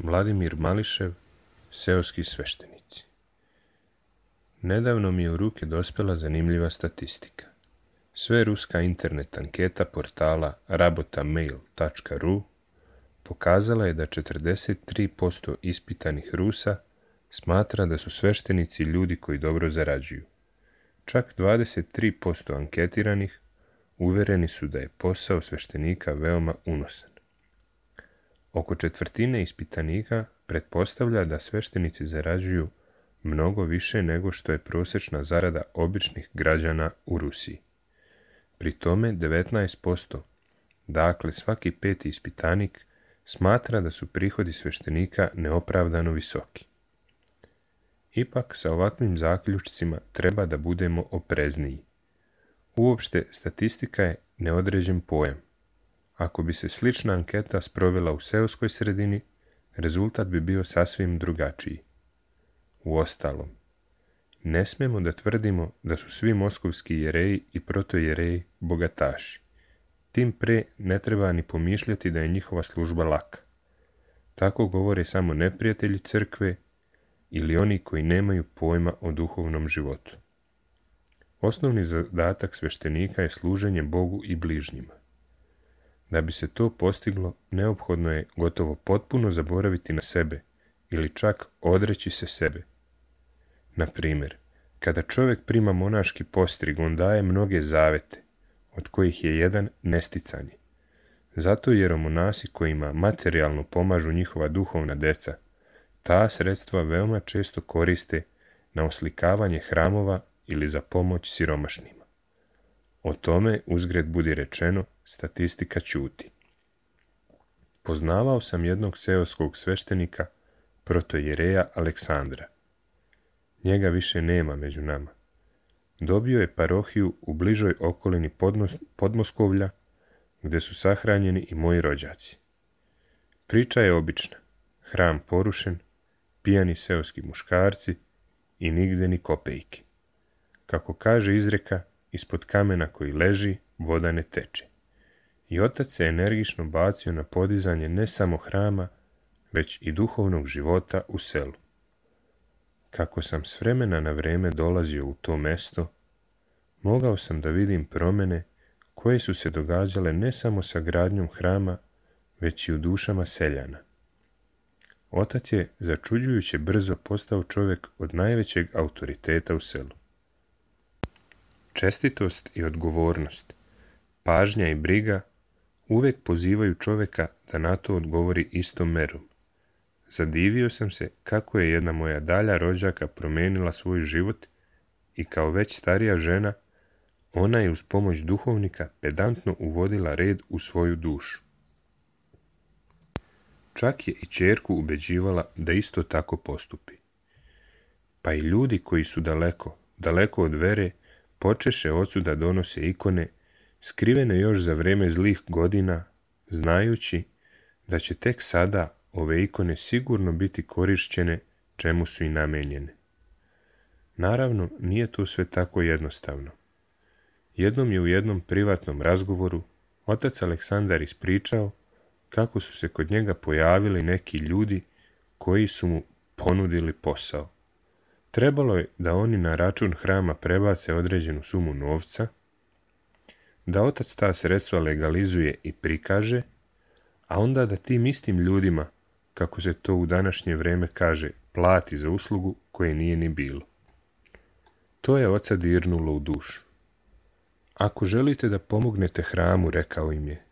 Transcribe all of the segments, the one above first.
Vladimir Mališev, seoski sveštenici. Nedavno mi je u ruke dospela zanimljiva statistika. Sve ruska internet anketa portala rabotaMail.ru pokazala je da 43% ispitanih Rusa smatra da su sveštenici ljudi koji dobro zarađuju. Čak 23% anketiranih uvereni su da je posao sveštenika veoma unosan. Oko četvrtine ispitanika pretpostavlja da sveštenici zarađuju mnogo više nego što je prosječna zarada običnih građana u Rusiji. Pri tome 19%, dakle svaki peti ispitanik, smatra da su prihodi sveštenika neopravdano visoki. Ipak sa ovakvim zaključcima treba da budemo oprezniji. Uopšte, statistika je neodređen pojam. Ako bi se slična anketa sprovela u seoskoj sredini, rezultat bi bio sasvim drugačiji. Uostalom, ne smemo da tvrdimo da su svi moskovski jereji i protojereji bogataši. Tim pre ne treba ni pomišljati da je njihova služba laka. Tako govore samo neprijatelji crkve ili oni koji nemaju pojma o duhovnom životu. Osnovni zadatak sveštenika je služenje Bogu i bližnjima. Da bi se to postiglo, neophodno je gotovo potpuno zaboraviti na sebe ili čak odreći se sebe. Na primjer, kada čovjek prima monaški postrig, on daje mnoge zavete, od kojih je jedan nesticanje. Zato jeromonasi kojima materijalno pomažu njihova duhovna deca, ta sredstva veoma često koriste na oslikavanje hramova ili za pomoć siromašnima. O tome, uzgred budi rečeno, statistika ćuti. Poznavao sam jednog seoskog sveštenika, protojereja Aleksandra. Njega više nema među nama. Dobio je parohiju u bližoj okolini Podmoskovlja, gdje su sahranjeni i moji rođaci. Priča je obična. Hram porušen, pijani seoski muškarci i nigde ni kopejke. Kako kaže izreka, ispod kamena koji leži, voda ne teče. i otac se energično bacio na podizanje ne samo hrama, već i duhovnog života u selu. Kako sam s vremena na vrijeme dolazio u to mesto, mogao sam da vidim promjene koje su se događale ne samo sa gradnjom hrama, već i u dušama seljana. Otac je začuđujuće brzo postao čovjek od najvećeg autoriteta u selu. Čestitost i odgovornost, pažnja i briga uvijek pozivaju čovjeka da na to odgovori istom merom. Zadivio sam se kako je jedna moja dalja rođaka promijenila svoj život i kao već starija žena, ona je uz pomoć duhovnika pedantno uvodila red u svoju dušu. Čak je i ćerku ubeđivala da isto tako postupi. Pa i ljudi koji su daleko od vere, počeše ocu da donose ikone, skrivene još za vrijeme zlih godina, znajući da će tek sada ove ikone sigurno biti korišćene čemu su i namenjene. Naravno, nije to sve tako jednostavno. Jednom je u jednom privatnom razgovoru otac Aleksandar ispričao kako su se kod njega pojavili neki ljudi koji su mu ponudili posao. Trebalo je da oni na račun hrama prebace određenu sumu novca, da otac ta sredstva legalizuje i prikaže, a onda da tim istim ljudima, kako se to u današnje vrijeme kaže, plati za uslugu koje nije ni bilo. To je oca dirnulo u dušu. Ako želite da pomognete hramu, rekao im je,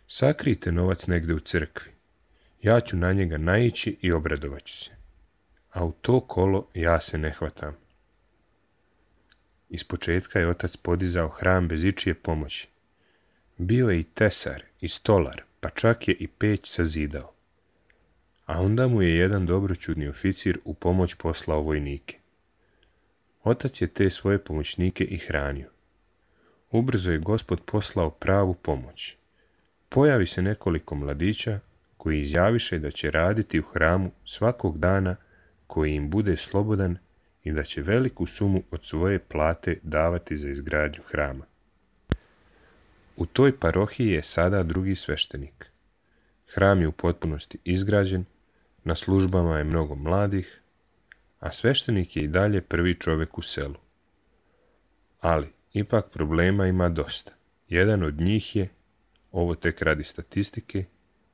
sakrijte novac negdje u crkvi. Ja ću na njega naići i obradovat ću se. A u to kolo ja se ne hvatam. Ispočetka je otac podizao hram bez ičije pomoći. Bio je i tesar, i stolar, pa čak je i peć sazidao. A onda mu je jedan dobroćudni oficir u pomoć poslao vojnike. Otac je te svoje pomoćnike i hranio. Ubrzo je Gospod poslao pravu pomoć. Pojavi se nekoliko mladića koji izjaviše da će raditi u hramu svakog dana koji im bude slobodan i da će veliku sumu od svoje plate davati za izgradnju hrama. U toj parohiji je sada drugi sveštenik. Hram je u potpunosti izgrađen, na službama je mnogo mladih, a sveštenik je i dalje prvi čovjek u selu. Ali, ipak problema ima dosta. Jedan od njih je, ovo tek radi statistike,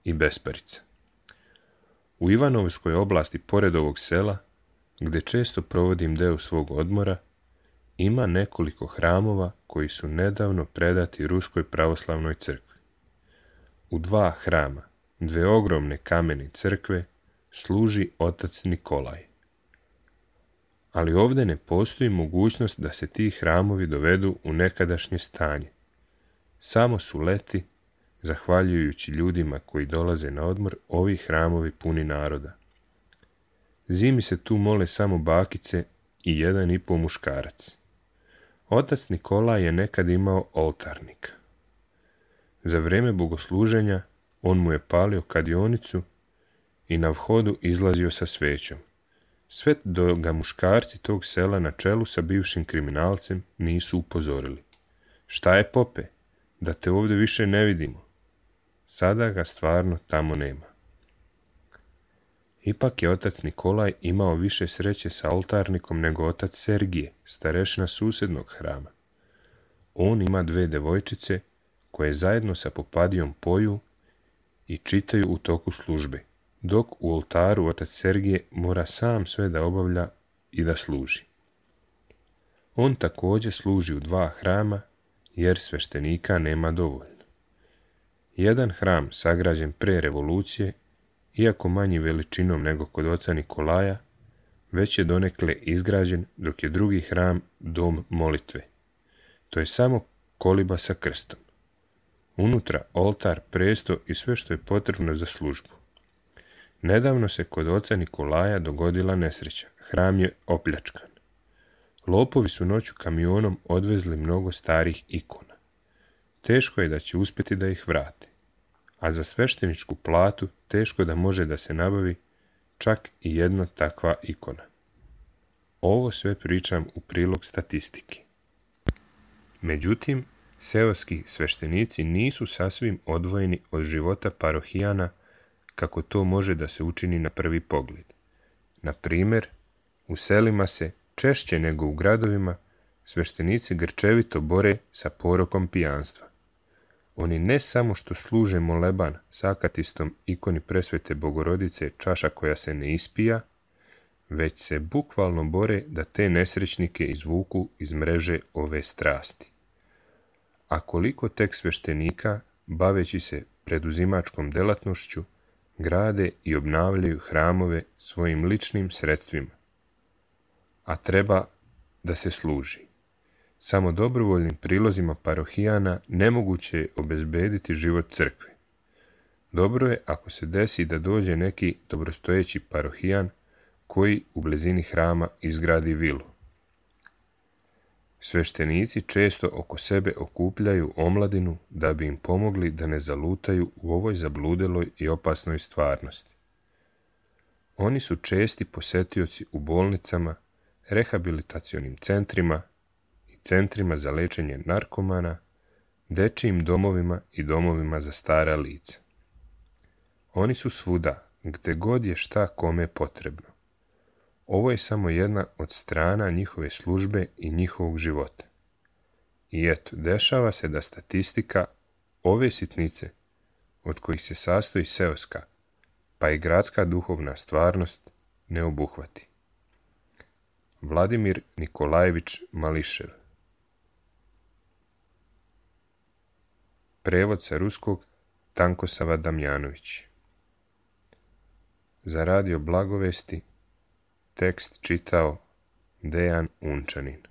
i besparica. U Ivanovskoj oblasti pored ovog sela, gdje često provodim deo svog odmora, ima nekoliko hramova koji su nedavno predati Ruskoj pravoslavnoj crkvi. U 2 hrama, 2 ogromne kamene crkve, služi otac Nikolaj. Ali ovdje ne postoji mogućnost da se ti hramovi dovedu u nekadašnje stanje. Samo su leti, zahvaljujući ljudima koji dolaze na odmor, ovi hramovi puni naroda. Zimi se tu mole samo bakice i 1,5 muškarac. Otac Nikolaj je nekad imao oltarnika. Za vrijeme bogosluženja on mu je palio kadionicu i na vhodu izlazio sa svećom. Sve dok ga muškarci tog sela na čelu sa bivšim kriminalcem nisu upozorili. Šta je, pope? Da te ovdje više ne vidimo. Sada ga stvarno tamo nema. Ipak je otac Nikolaj imao više sreće sa oltarnikom nego otac Sergije, starešina susjednog hrama. On ima 2 devojčice koje zajedno sa popadijom poju i čitaju u toku službe, dok u oltaru otac Sergije mora sam sve da obavlja i da služi. On također služi u 2 hrama, jer sveštenika nema dovoljno. Jedan hram sagrađen pre revolucije, iako manji veličinom nego kod oca Nikolaja, već je donekle izgrađen, dok je drugi hram dom molitve. To je samo koliba sa krstom. Unutra oltar, presto i sve što je potrebno za službu. Nedavno se kod oca Nikolaja dogodila nesreća. Hram je opljačkan. Lopovi su noću kamionom odvezli mnogo starih ikona. Teško je da će uspjeti da ih vrate, a za svešteničku platu teško da može da se nabavi čak i jedna takva ikona. Ovo sve pričam u prilog statistike. Međutim, seoski sveštenici nisu sasvim odvojeni od života parohijana kako to može da se učini na prvi pogled. Na primjer, u selima se, češće nego u gradovima, sveštenici grčevito bore sa porokom pijanstva. Oni ne samo što služe moleban s akatistom ikoni presvete Bogorodice čaša koja se ne ispija, već se bukvalno bore da te nesrećnike izvuku iz mreže ove strasti. A koliko tek sveštenika, baveći se preduzimačkom delatnošću, grade i obnavljaju hramove svojim ličnim sredstvima. A treba da se služi. Samo dobrovoljnim prilozima parohijana nemoguće je obezbediti život crkve. Dobro je ako se desi da dođe neki dobrostojeći parohijan koji u blizini hrama izgradi vilu. Sveštenici često oko sebe okupljaju omladinu da bi im pomogli da ne zalutaju u ovoj zabludeloj i opasnoj stvarnosti. Oni su česti posetioci u bolnicama, rehabilitacionim centrima i centrima za lečenje narkomana, dečijim domovima i domovima za stara lica. Oni su svuda, gde god je šta kome potrebno. Ovo je samo jedna od strana njihove službe i njihovog života. I eto, dešava se da statistika ove sitnice, od kojih se sastoji seoska, pa i gradska duhovna stvarnost, ne obuhvati. Vladimir Nikolajević Mališev. Prevod sa ruskog Tankosava Damjanović. Za radio Blagovesti tekst čitao Dejan Unčanin.